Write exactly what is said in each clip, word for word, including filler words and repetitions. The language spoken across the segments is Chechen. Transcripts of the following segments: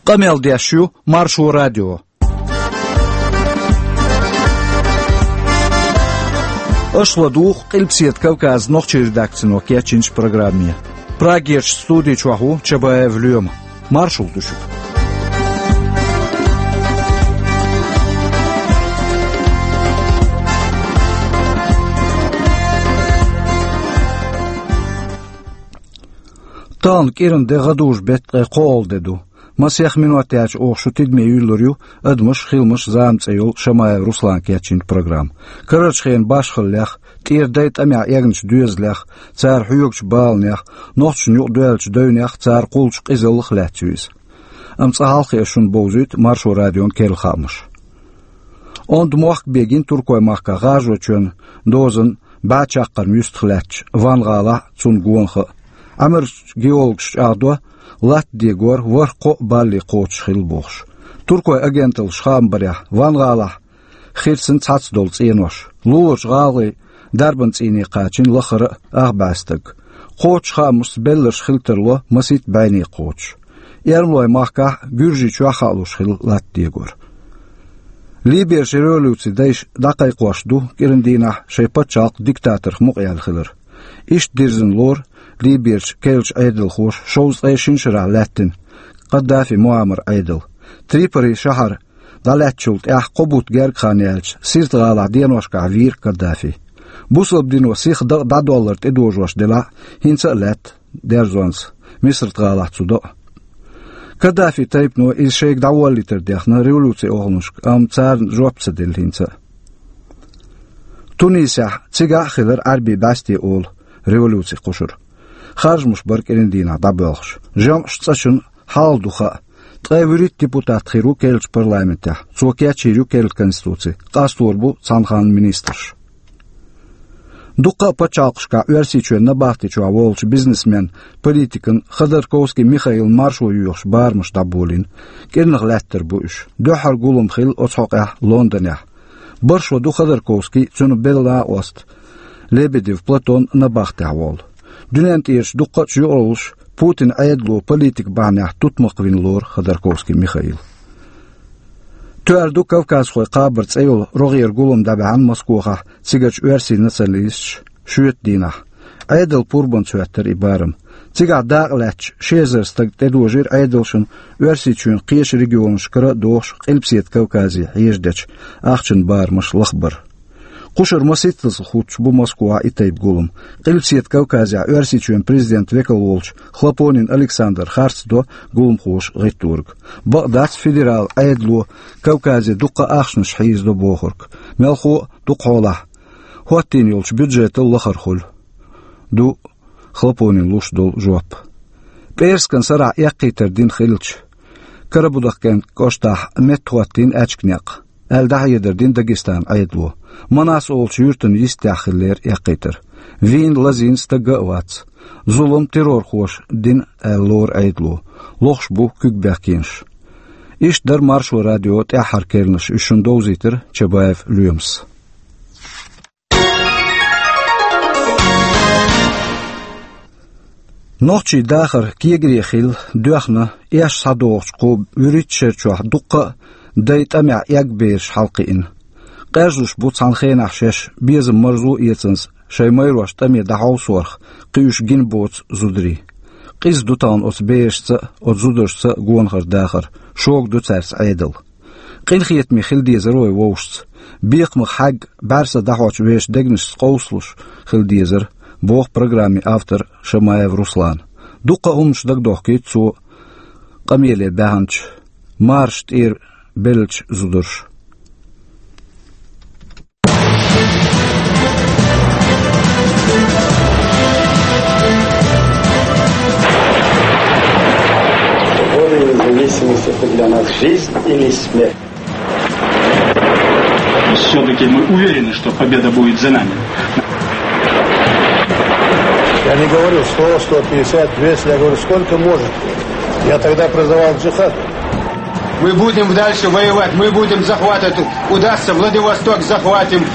Къамел деш ю Маршо радио. Аша ладугӀу Къилбаседа Кавказан нохчийн редакцино кечйинчу программе. Прагерчу студи чохь ву Чабаев Лоьма. Маршалла ду шуьга. Тахана кӀиран де, гӀадужу беттан ткъе кхоалгӀа де ду. Масех минот яьлча оха шу тидаме юьйлур ю «Адамаш, хиламаш, зама» цӀе йолу Шамаев Руслана кечйинчу программа. Карарчу хенан башхаллех, тӀера дайн тӀамехь эгначу доьзалех, цара хьоьгучу баланех, нохчашна юкъадоьллачу девнех, цара кхуллучу къизаллах лаьцна ю иза. Амма цкъа хьалха аса шуна бовзуьйту Маршо радион керла хаамаш. Онда мохк бегина Туркойн махкахь ГӀажочоьнан дозанна бӀе чаккхарма юьстах лаьттачу Ван-гӀалахь а, цунна гонах а. Ӏамарчу геологаша чӀагӀдо, латта дегор ворхӀ-кхоъ балли кхочуш хилла бохуш. Туркойн агенталлаша хаам барехь, Ван-гӀалахь хирсина цхьацца долу цӀенош. Луларчу гӀалгӀайн дарбан цӀийне кхачийна лаххара а ах бӀе стаг. Кхочуш хаамашца белларш хила тарло масийтта бӀене кхочуш. Эрмалойн махкахь а, Гуьржийчохь а хаалуш хилла латта дегор. Либерчу революцин дайша дӀакхайкхош ду кӀиран дийнахь шайн пачхьалкх диктаторх мукъаяьлла хилар. Иштта дирзина лору Либерчу керлачу Ӏедалхоша шовзткъе шина шарахь лаьттина Каддафи Муаммаран Ӏедал. Триполи шахьар дӀалаьцначул тӀаьхьа кхо бутт гергга хан яьлча, Сирта-гӀалахь деношкахь вийра Каддафи. Бусалба дино сиха дакъа дӀадоллар тӀедожош делахь а, хӀинца а лаьтта дерзонца Мисрат-гӀалахь цу до а. Каддафин тайпано иза шайга дӀаволлийтар дехна революцин оханашка, амма царна жоп ца делла хӀинца а. Тунисехь, цигахь а хилира Ӏаьрбийн бӀаьсте олу революцин кхушар. Харжамаш бара кӀиран дийнахь дӀабоьлхуш. ЖамӀаш цӀа шуна хьалха ду хаьа. Ткъе вуьрхӀитта депутат хир ву керлачу парламентехь. Цо кечйийр ю керла конституци. Къастор бу цхьана ханна министраш. Дуккха а пачхьалкхашкахь Оьрсийчоьнан набахти чохь волчу бизнесменна, политикана Ходорковский Михаилна маршо йоьхуш барамаш дӀаболийна. КӀирнах лаьттар бу уьш. Дуьххьара гулам хилла оцу хьокъехь Лондонехь. БархӀ шо ду Ходорковский, цуьнан белла накъост Лебедев Платон набахтехь волу. Дуьнен тӀерачу дуккха а чу юкъараллаш Путинан Ӏедало политикан бахьанехь тутмакх вина лору Ходорковский Михаил. Тоьар ду Кавказхойн кхабар цӀе йолу рогӀера гулам дӀабаьхьна Москохахь цигарчу оьрсийн националисташа шоьтан дийнахь. Ӏедалан пурбанца хӀоьттира и барам. Цигахь дакъа лаьтташ ши эзар стаг тӀедожийра Ӏедалшна Оьрсийчоьнан кхечу регионашкара а дохуш Къилбаседа Кавказе хьежадечу ахчанан барамаш лахбар. Кхушара масийттазза хӀуттуш бу Москвахь и тайпа гулам. Къилбаседа Кавказехь Оьрсийчоьнан президентан векал волчу Хлопонин Александра харц до гуламхоша гӀиттург. Бакъ дац федералан Ӏедало Кавказе дуккха а ахчанаш хьийзадо бохург. Мелхо а, дукха хьолахь, хӀоттийна йолчу бюджетал лахара хуьлу, ду Хлопонина луш долу жоп. ПӀераскан сарахь эккхийтар дина хилча, Карабудахкентан кӀоштахь метта хӀоттийна аьчка некъ, аьлла дӀахьедар дина Дагестанан Ӏедало. Манас олучу юьртана йистехь хиллера эккхийтар. Вийна, лазийна стаг а вац. Зулам террорхоша дина, аьлла лору Ӏедало. Лохуш бу куьг бехкенаш. Иштта дара Маршо радион тӀаьххьара керланаш, уьш шуна довзийтира Чабаев Лоьмас. Нохчийн дахар кегаре хилла, доьхна, эшна схьадогӀучу кху вуьрхӀитта шарчохь дуккха а дайн тӀамехь эгна бераш хьалакхиъна. Къежлуш бу цхьана хенахь шаьш безам-марзо а эцанза шайн майрош тӀаме дӀахьовсорх кхин уьш гина боцу зударий. Къиза ду тахана оцу берашца а, оцу зударшца а гонахара дахар, шога ду цаьрца Ӏедал. Къинхетаме хила дезара вай вовшашца. Бекхамах хьаьгга, бӀаьрса дӀахьочу вешан дегнашца къовсалуш хила дезара, боху программин автора Шамаев Руслана. Дуккха а хӀуманаш дагадохкуьйту цо къамеле баьхначу, марша тӀера беллачу зударша. Споры независимости — это для нас жизнь или смерть. Все-таки мы уверены, что победа будет за нами. Я не говорю сто, сто пятьдесят, двести, я говорю, сколько может. Я тогда призывал к джихаду. Мы будем дальше воевать, мы будем захватывать. Удастся, Владивосток захватим.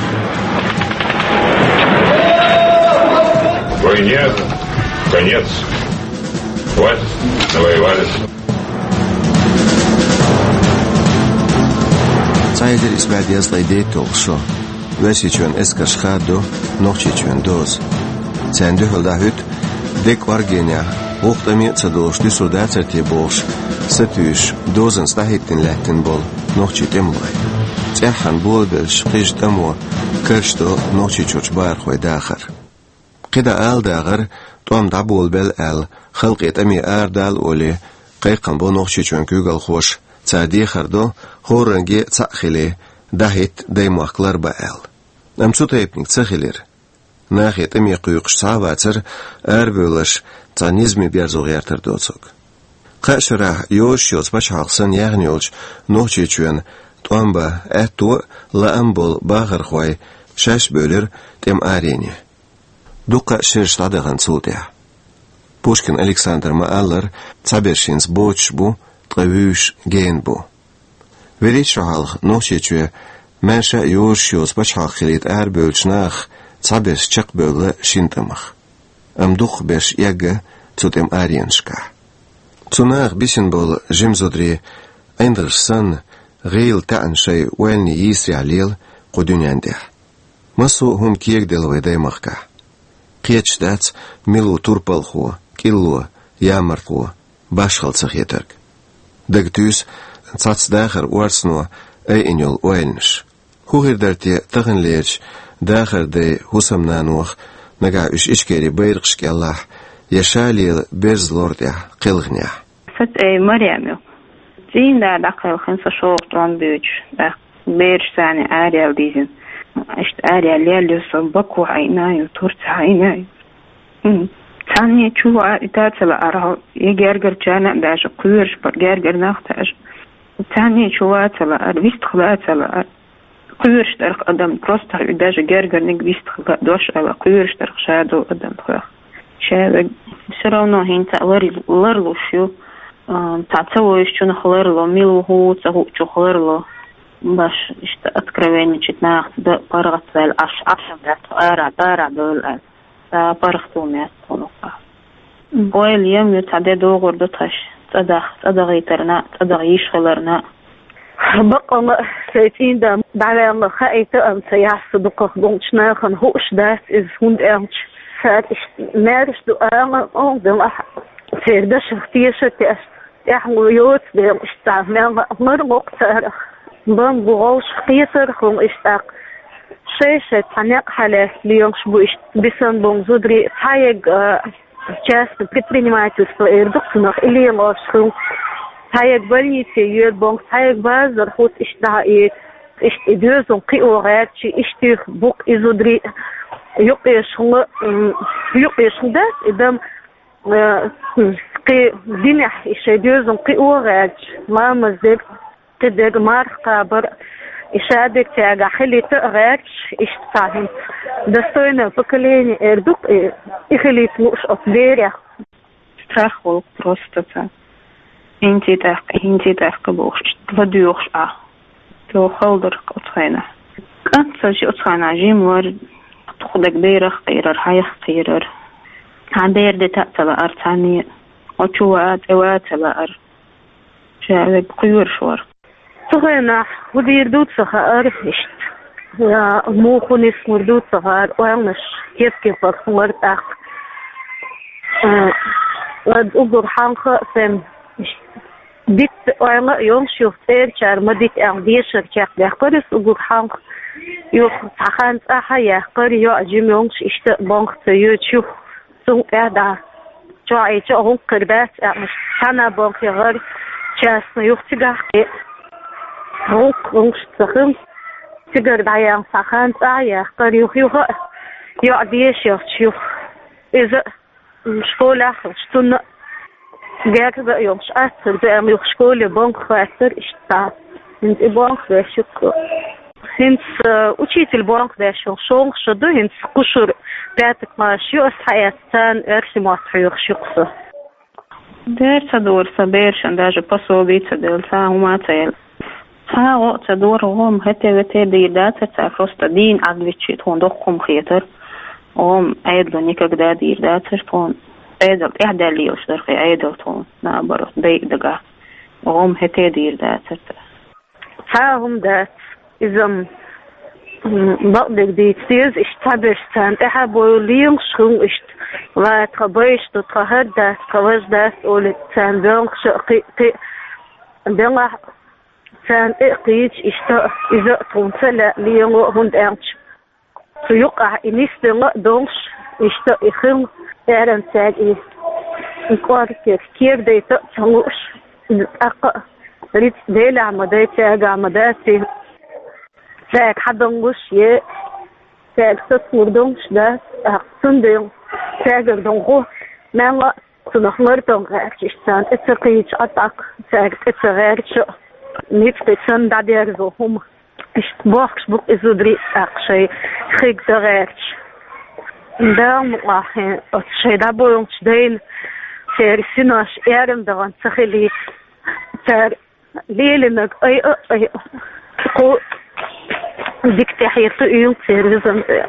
Войне конец. Хватит, навоевались. Эзар исс бӀаь дезткъе дейтталгӀа шо. Оьрсийчоьнан эскарша хададо Нохчийчоьнан доза. Царна дуьхьал дӀахӀуьтту дега кӀоргенехь, гӀуллакх тӀаме а ца долуш дуьсур дацара те бохуш, сатуьйсуш, дозанца дӀахӀиттина лаьттина болу нохчийн тӀемалой. ЦӀеххьана болабеллачу кхижа тӀамо карчадо Нохчийчуьрчу бахархойн дахар. КхидӀа ала дагӀар, тӀом дӀаболабелла аьлла, халкъе тӀаме арадала олий, кхайкхам бо Нохчийчоьнан куьйгалхоша, цара дехар до, хӀоранге а цхьаъ хилий, дӀахӀитта даймохк ларбан аьлла. Амма цу тайпаниг ца хилира. Нахе тӀаме кхуьйкхуш цхьа а вацара арабевлларш цхьа низаме берзо гӀертар доцург. Кхаа шарахь йозуш йоцу пачхьалкх санна яьхна йолчу Нохчийчоьнан тӀом бан аьтто а, лаам а болу бахархой шаьш а бевлира тӀеман арене. Дуккха а шераш дӀадахана цул тӀаьхьа. Пушкин Александра ма-аллара, цхьаберш хӀинца боцуш бу, ткъа вуьйш гена бу. ВуьрхӀитта шо хьалха Нохчийчоь маьрша а йозуш йоцу пачхьалкх хилийта арабевллачу нахах цхьаберш чекхбевлла шина тӀамах. Амма дукхахберш эгна цу тӀеман аренашкахь. Цу наха бисина болу жима зударий, ӀиндагӀаш санна, гӀийла таьӀна шайн ойланийн йийсарехь лела кху дуьнен тӀехь. Массо а хӀума кегаделла вайн даймахкахь. Кхеташ дац, мила ву турпалхо, кӀилло, ямартло, башхалла ца хетарг. Дага туьйсу цхьацца дахаран орцано айина йолу ойланаш. ХӀун хир дара те таханлерчу дахаран дайн хӀусамнанох, нагахь уьш Ичкерин байракхаш кӀелахь, я ша лела берзан лор тӀехь кхелхинехь? Сан цӀе Марем ю. ЦӀийнан да дӀакхелхина со шолгӀа тӀом буьйцуш, тӀаккха бераш царна араяьлла дийзина. Иштта араяьлла лелла ю со, Баку Ӏийна ю, Турци Ӏийна ю. М. Цхьанне чу ван и та ца лаьара, я гергарчарна а даьжа, кхоьруш бара гергара нах даьжа. Цхьанне чу ван ца лаьара, вистхила ван ца лаьара. Кхоьруш дарх адам, просто и даже гергарниг вистхила дош ала, кхоьруш дарх ша долу адам тхох. Ша вег всё равно хӀинца лар-, ларлуш ю. А, цхьа ца вуьйшучунах ларло, мила ву хӀу ца хуучух ларло. Баш, иштта откровенничать нахаца дан паргӀатваьлла, Ӏаш, Ӏаш дац ара, ара довла аьлла. Ца паргӀато меца хӀунах. Ойла ем ю, цхьа де догӀур ду тхаьш, цӀа дах-, цӀа дахийтарна, цӀа даха йиш хиларна. Баккъалла а, сайн цӀийнан да дӀаваьлла хаийта, амма ца яхьа со дукхах болчу нахана хууш дац иза, хӀунда аьлча цара иштта маьрша ду ала, оха делахь, церан дашах тешар теш. ТӀаьхьа йоцу дела иштта мел ларло-кх царах. Бан бу гӀовшах, кхетарх хӀума иштта тӀаккха. Шай-шай цхьа некъ хьалаьцна лелаш бу иштта бисина болу зударий, цхьаерг, а, частное предпринимательство эр ду-кх цунах, и лелош хилла. Цхьаерг больнице йоьду боху, цхьаерг базар хӀутту иштта дӀа и, иштта и доьзал кхио гӀерташ, иштта бу-кх и зударий юкъешхула, м, юкъешхула дац и дам, э, кхин динехь и шайн доьзал кхио гӀерташ, ламаз дерг, кхидерг, марха кхабар, и шадерг цаьргахь хилийта а гӀерташ, иштта цхьа хӀинца достойное поколение эр ду-кх и, и хилийта лууш оцу берех. Страх волу-кх просто царна. ХӀинца тӀаккха, хӀинца тӀаккха бохуш, ладоьгӀуш Ӏа. Цо хала дара-кх оцу хенахь. КӀант ца ши оцу хенахь жима вара, туху дерг берах кхийрар, хьайх кхийрар. Цхьа бер де таӀ ца лаара цхьанне, оцу чу ваа, цӀе ваа ца лаара. Ша вег кхоьруш вара. Цу хенахь хӀун дийр ду ца хаьара иштта. Я муха нисмур ду ца хаьара, ойланаш кеп-кепара хилар тӀаккха. А, ад уггар хьалха а сайн иштта дитта ойла а йолуш ю, цӀерачара ма дита аьлла, дешар чекхдаьккхира иза уггар хьалха. Юха цхьа хан цӀахь а яьккхира, йоӀ жима йолуш, иштта а бонх ца йоьдуш юха. Цул тӀаьхьа дӀа чохь а, чохь а гӀуллакх хир дац аьлла, цхьана бонх яхара частный, юха цигахь кхин гӀуллакх, гӀуллакхаш ца хилла. Цигара дӀаяьлла цхьа хан цӀа а яьккхира, юха-юха а йоӀ дешарца юха. Иза школехь а хилча, цунна а герга а йолуш, аццар беана юха школе бонх хаттар иштта. ХӀинца и бонх беш ю-кх. ХӀинца, э, учитель бонх беш йолу шолгӀа шо ду, хӀинца кхушур пятый класс ю, ас хьаэцна царна оьрсийн мотт хьоьхуш ю-кх со. Дера ца дора сан берашна, даже пособи ца делла, цхьа хӀума ца елла. Цхьа гӀо а ца дора, гӀо-м хӀете-вете дийр дацара цара, просто дийна Ӏадвиччи тхуна доккха хӀума хетара. ГӀо-м Ӏедало никогда дийр дацара тхуна. Ӏедал тӀаьхьадаьлла лелаш дара-кх и Ӏедал тхуна, наоборот, дайа дагахь. ГӀо-м хӀете дийр дацара цара. Цхьа а хӀума дац. Иза, м, бакъдерг дийца деза, иштта цхьаберш царна тӀаьхьа бовла лелаш хилла, иштта, ва тха баьш ду, тха хӀара дац, тха важа дац олий, царна боьлхуш а кхин а, кхин а делахь, царна тӀе а кхийдаш, иштта иза а тхуна ца лаьа лело, хӀунда аьлча цу юкъахь и нисделла а долуш, иштта и хилла, аьрран цаьрга и, и кӀорггера кера дайта а ца лууш, иза тӀаккха а рицкъ Делехь ма дай, цаьргахь ма дац и. Цаьрга хьадалуш е цаьрга сацалур долуш дац, тӀаккха цундела цаьргара долу гӀо мелла а цунах лардала гӀерташ, царна тӀе ца кхийдаш, Ӏа тӀаккха цаьрга тӀе ца гӀерташ а, ницкъ санна дӀадерзо хӀума. Иштта бохкуш бу-кх и зударий а тӀаккха шайн хиг дан гӀерташ. Дала мукъалахь, оцу шайн дӀабоьлхучу дайна церан синош аьрру дахана ца хилийта, цара лелийнарг айа а айа, кху дика тӀехьа туьйла церан визанца.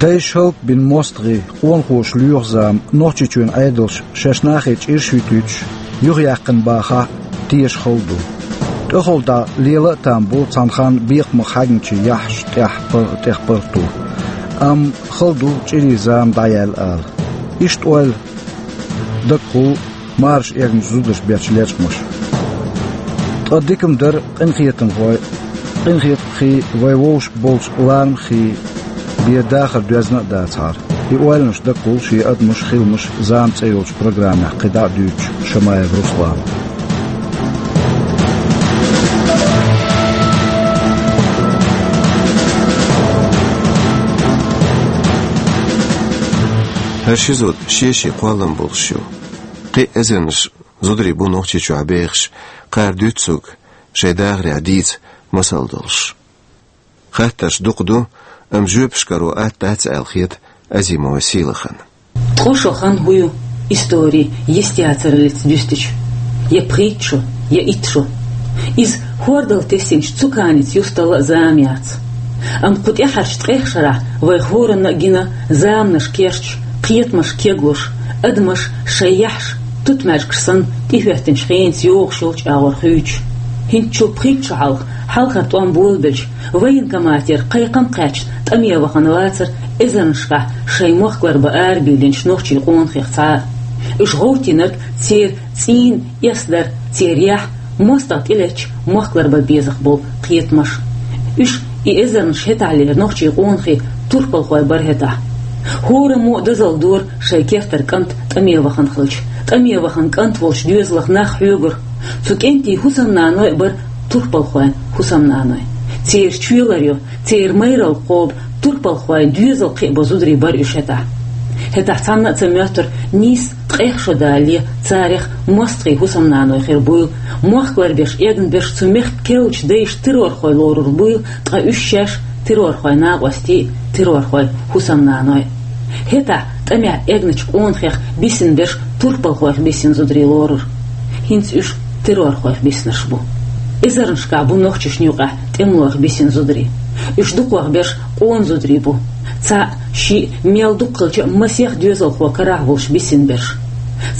Дайша хӀаллакбина мостагӀий, къонахоша лоьху зама, Нохчийчоьнан Ӏедалша шаьш нахе чӀирш а вуьтуьйтуш, юхаяьккхина бахахь а, теша хала ду. ТӀехула дӀа лела а там бу цхьана ханна бекхамах хьаьгначийн яххьаш тӀех пар-, тӀех паргӀато. Амма хала ду чӀирийн зама дӀаяьлла ала. Иштта ойла дагахь хул марша эгначу зударша бечу лечкъамаша. Ткъа дика-м дара къинхетамхой, къинхетамхий, вай вовшашка болчу ларамхий бен дахар доьзна а дацахьара. И ойланаш дагахь хул шен «Адамаш, хиламаш, зама» цӀе йолчу программехь кхин дӀа а дуьйцучу Шамаев Руслана. ХӀара ши зуда шен-шен кхоллам болуш ю. Кхин а эзарнаш зударий бу Нохчийчохь бехаш, кхара дуьйцу цуьнга шайн дахарехь дийца масал долуш. Хаттарш дукха ду, амма жоьпаш каро атта дац аьлла хета Азимова Сийлахана. Ткъа шо хан хӀун ю истори йистехь яцараллица дуьстича? Я пхийтта шо, я итт шо. Иза хӀордал тесинчу цу каница юсталла а зама яц. Амма кху тӀаьхьарчу ткъех шарахь вайх хӀоранна а гина заманаш керчаш, кхетамаш кеглуш, адамаш шайн яххьаш тутмаьжгаш санна тӀехӀоьттинчу хенаца йогӀуш йолчу агӀор хуьйцуш. ХӀинцачул пхийтта шо хьалха, хьалхара тӀом болабелча, военкоматера кхайкхам кхаьчна тӀаме вахана вацара эзарнашкахь шайн мохк ларбан арабийлинчу нохчийн къонахех цхьа а. Уьш гӀовттийнарг церан цӀийнан эс дара, церан яхь, мостагӀа тӀелеттачу мохк ларбан безах болу кхетамаш. Уьш, и эзарнаш, хӀетахьлера нохчийн къонахий турпалхой бара хӀетахь. ХӀораммо а дозалла дора шайн кертара кӀант тӀаме вахана хилча. ТӀаме вахана кӀант волчу доьзалх нах хьоьгура. Цу кӀентийн хӀусамнаной а бара турпалхойн хӀусамнаной. Церан чоь ларйо, церан майралла кхобу турпалхойн доьзал кхиабо зударий бара уьш хӀетахь. ХӀетахь цхьанна а ца моьттура нийсса ткъех шо далале царех мостагӀий хӀусамнаной хир буйла, мохк ларбеш эгна берш цу мехкан керлачу дайша террорхой лорур буйла, ткъа уьш шаьш террорхойн накъостий, террорхойн хӀусамнаной. ХӀетахь тӀамехь эгначу къонахех бисина берш турпалхойх бисина зударий лорура. ХӀинца уьш террорхойх биснарш бу. Эзарнашкахь бу нохчашна юкъахь тӀемалойх бисина зударий. Уьш дукхох берш къона зударий бу. Цхьаъ, шиъ, мел дукха хилча а масех доьзалхо карахь волуш бисина берш.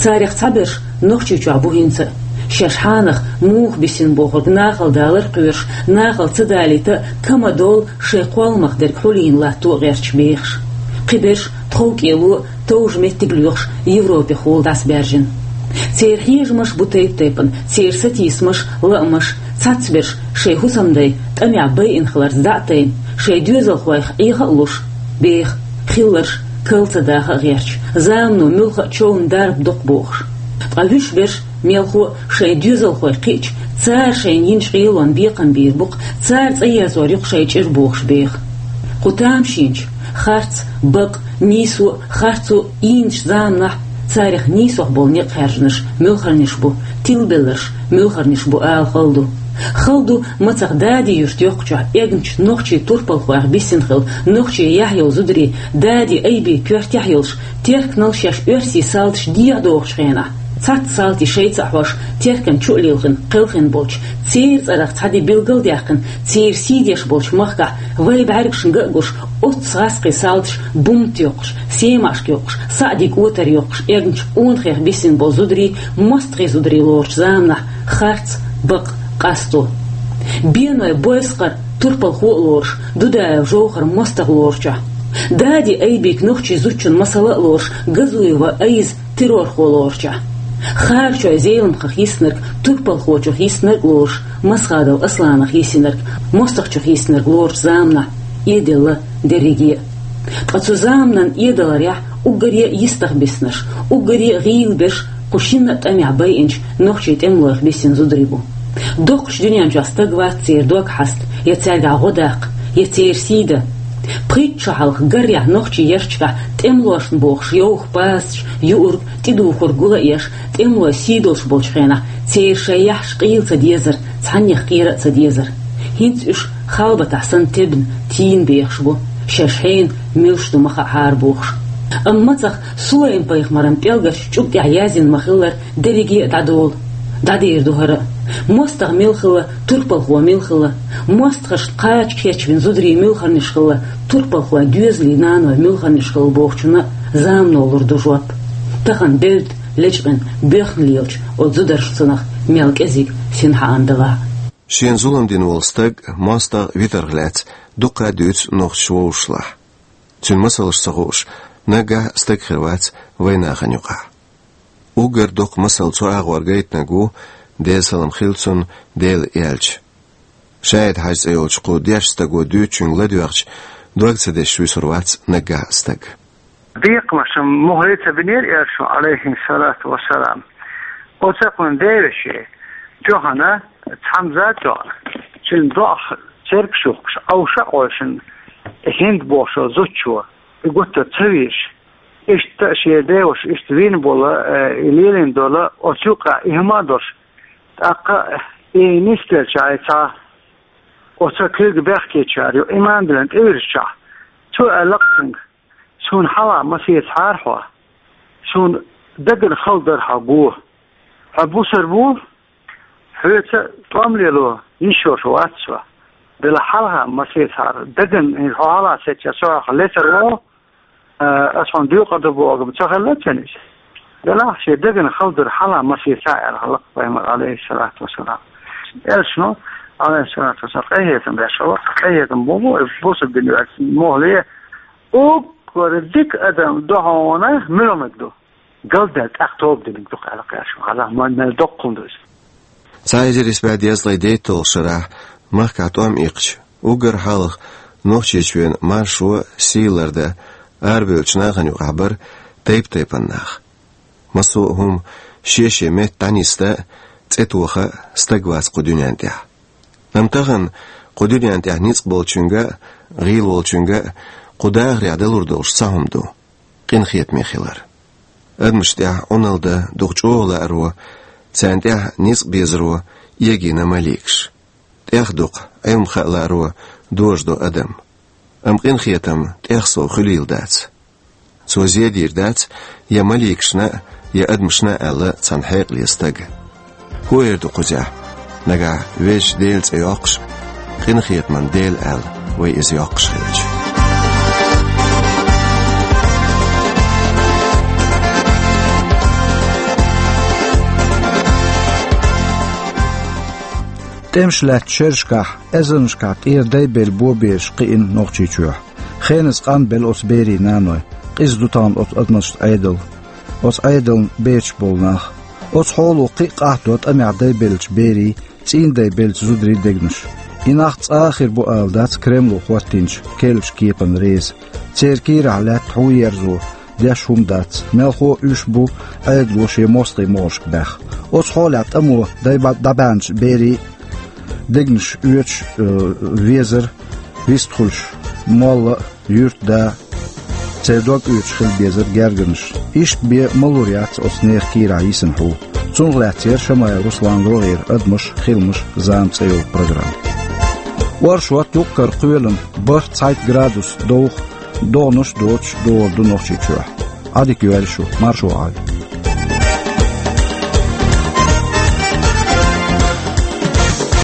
Царех цхьаберш Нохчийчохь бу хӀинца а. Шаьш хьанах муха бисина бохург нахала далар а кхоьруш, нахала ца далийта а, кама долу шайн кхолламах дерг хьулийна латто а гӀерташ бехаш. Кхиберш тховкӀело а, товжа меттиг а лоьхуш, Европехула дӀасабаьржина. Церан хьежамаш бу тайп-тайпана, церан сатийсамаш, лаамаш, цхьацберш шайн хӀусамдай тӀамехь байина хиларца дӀа а тайна, шайн доьзалхойх Ӏеха а луш, беха, хилларш кал ца даха а гӀерташ, замано муьлхха а човна дарба доккху бохуш. Ткъа вуьш берш мелхо а шайн доьзалхой кхиъча, цара шайна йинчу къелонна бекхам бийр бу-кх, цара цӀа езор ю-кх шайн чӀир бохуш беха. Кху тамашийначу харц, бакъ, нийсо а, харцо а ийначу заманахь царех нийсох болу некъ хаьржинарш муьлхарниш бу, тилабелларш муьлхарниш бу ала хала ду. Хала ду, мацах Дади-Юьртан йоккхачохь эгначу нохчийн турпалхойх бисина хилла нохчийн яхь йолу зударий Дади Айби коьртехь йолуш, терканал шаьш оьрсийн салташа дехьа дохучу хенахь. Цхьацца салтий шайца а хьош, теркан чу а лилхина, кхелхина болчу, церан цӀарах цхьа де билгал а даьккхина, церан сий деш болчу махкахь вай бӀаьргашна ган а гуш, оццу гӀаскхийн салташа бумт йоккхуш, семашка йоккхуш, саӀдиг отар йоккхуш, эгначу къонахех бисина болу зударий, мостагӀийн зударий лоручу заманахь харц, бакъ, къасто. Беной Бойсхар турпалхо а лоруш, Дудаев Жовхар мостагӀа лоручохь. Дади Айбик нохчийн зудчун масала а лоруш, Газуева Айза террорхо лоручохь. Харачой Зеламхах йиснарг, турпалхочух йиснарг а лоруш, Масхадов Асланах йисинарг, мостагӀчух йиснарг лоручу заманахь, Ӏедалла дерриге а. Ткъа цу заманан Ӏедаларехь уггаре а йистах биснарш, уггаре а гӀийла берш кху шинна а тӀамехь байинчу нохчийн тӀемалойх бисина зударий бу. Доккхачу дуьнен чохь стаг вац церан дог хьаста, я цаьргахь гӀо даккха, я церан сий дан. Пхийтта шо хьалха гарехь нохчийн ярташкахь тӀемалошна бохуш йовха пасаш, юург, тӀедухург гул а еш, тӀемалой сий долуш болчу хенахь, церан шайн яххьаш къийла ца дезара, цхьаннех кхера а ца дезара. ХӀинца уьш халбатахь санна тебна, тийна бехаш бу, шаьш хьенан муьлш ду ма хаахьара бохуш. Амма мацах Сулайм-пайхамаран пӀелгарчу чӀуг тӀехь яздина ма-хиллара, дерриге а дӀадолу. ДӀадер ду хӀара а. МостагӀа мила хилла, турпалхо мила хилла, мостагӀашна кхача кечбина зударий муьлхарниш хилла, турпалхойн доьзалийн наной муьлхарниш хилла бохучунна замано лур ду жоп. Тахана девдда, лечкъина, боьхна лелачу оцу зударшцанах мел кӀезиг синхьаан далахь а. Шена зулам дина волу стаг мостагӀа витарх лаьцна дуккха а дуьйцу нохчаша вовшашлахь. Цуьнан масалш ца хууш, наггахь а стаг хир вац вайн нахана юкъахь. Уггар доккха масал цу агӀор гайтинарг ву, Делан салам хила цунна, Дела аьлча, ШаӀид-Хьаьжа цӀе йолчу кху дешначу стага дуьйцучуьнга ладоьгӀча, дог ца дешаш вуьсур вац наггахь а стаг. Бекхамаш мухӀле ца бинера элчано, Ӏалайхи салату вассалам. Оцу кхуьнан девешин тоьхна цхьамза а тоьхна, цуьнан доӀах цергаш юхкуш, Ӏовша а Ӏовшина, ХӀинд бохучу зудчо, и гуттар ца везаш, иштта шен деваша иштта вийна болу, э, и лелийна долу, оцу юкъахь и хӀума а долуш, тӀаккха и нисделча цхьа оцу куьйга бехкечара ю, иман диллина тӀевирзичахь, цо аьлла-кх цуьнга: «Суна хьалха масецахьара хьо, суна дагна хала дара хьо го. Хьо бусар бу, хьоьца тӀом лело йиш йолуш вац со. Делахь хьалха масецахьара, дагна хьо хьалха сецча, со хьох лецар ву, а, ас хьуна доькъур ду бохург ца хилла цуьнан иза. Делахь шен дагна хала дара хьалха масеца», — аьлла хьалха пайхамар, Ӏалайхи салату вассалам. Элчано, Ӏалайхи салату вассалам, къинхетам беш хилла, къинхетам бу, бу, бусалба дин ваьлла мухӀле, уггар дика адам ду хьуна муьлханиг ду. Галдаьлла тӀаккха тоба динарг ду-кх аьлла кхаьчна, хьалха ма-, мел доккха хӀума ду иза. Цхьа эзар исс бӀе дезткъе дейтталгӀачу шарахь махкахь тӀом иккхича, уггар хьалха Нохчийчоьнан маршо, сий лардан арабевллачу нахана юкъахь бара тайп-тайпана нах. Массо а хӀума шен-шен метта дӀанисдан а, цӀе тоха а стаг вац кху дуьнен тӀехь. Амма тахана кху дуьнен тӀехь ницкъ болчуьнга а, гӀийла волчуьнга а кху дахарехь далур долуш цхьа хӀума ду: къинхетаме хилар. Адамашна тӀехь Ӏуналла дан дукха чӀогӀа лааро, царна тӀехь ницкъ безаро эгийна маликаш. ТӀех дукха, Ӏилма хаа лааро дожадо адам. Амма къинхетам тӀех сов хуьлийла дац. Цо зе дийр дац я маликашна а, я адамашна а, аьлла цхьана хьекъале стага. ХӀун эр ду кхузахь? Нагахь Везачу Делан цӀе йоккхуш, къинхетаман Дела аьлла, вай иза йоккхуш хилча. ТӀемаш лаьттачу шерашкахь, эзарнашкахь тӀера дай белла бобераш кхиъна Нохчийчохь. Хеназа къанбелла оцу берийн наной, къиза ду тахана оцу адамашца Ӏедал, оцу Ӏедална берташ болу нах. Оцу хьоло кхин а къахьдо тӀамехь дай беллачу берийн, цӀийнан дай беллачу зударийн дегнаш. И нах цкъа а хир бу ала дац Кремло хӀоттийначу керлачу кепана реза. Церан кийрахь лаьтта хьун ерзо, деш хӀума дац. Мелхо а уьш бу Ӏедало шен мостагӀийн могӀаршка баьхна. Оцу хьолехь тӀамо дай ба-, дӀабаьхначу берийн дегнаш оьцуш, э, везара, вистхуьлуш молла а, юьртда а, церан дог оьцуш хила безара гергарнаш. Иштта бен ма-лур яц оцу нехан кийрахь йисина хьу. Цунах лаьцна яра Шамаев Русланан рогӀера «Адамаш, хиламаш, зама» цӀе йолу программа. Оршот, юккъера кхоьлина, бархӀ-цхьайтта градус довха, догӀанаш а доцуш догӀур ду Нохчийчохь. Ӏадика йойла шу, маршо Ӏойла.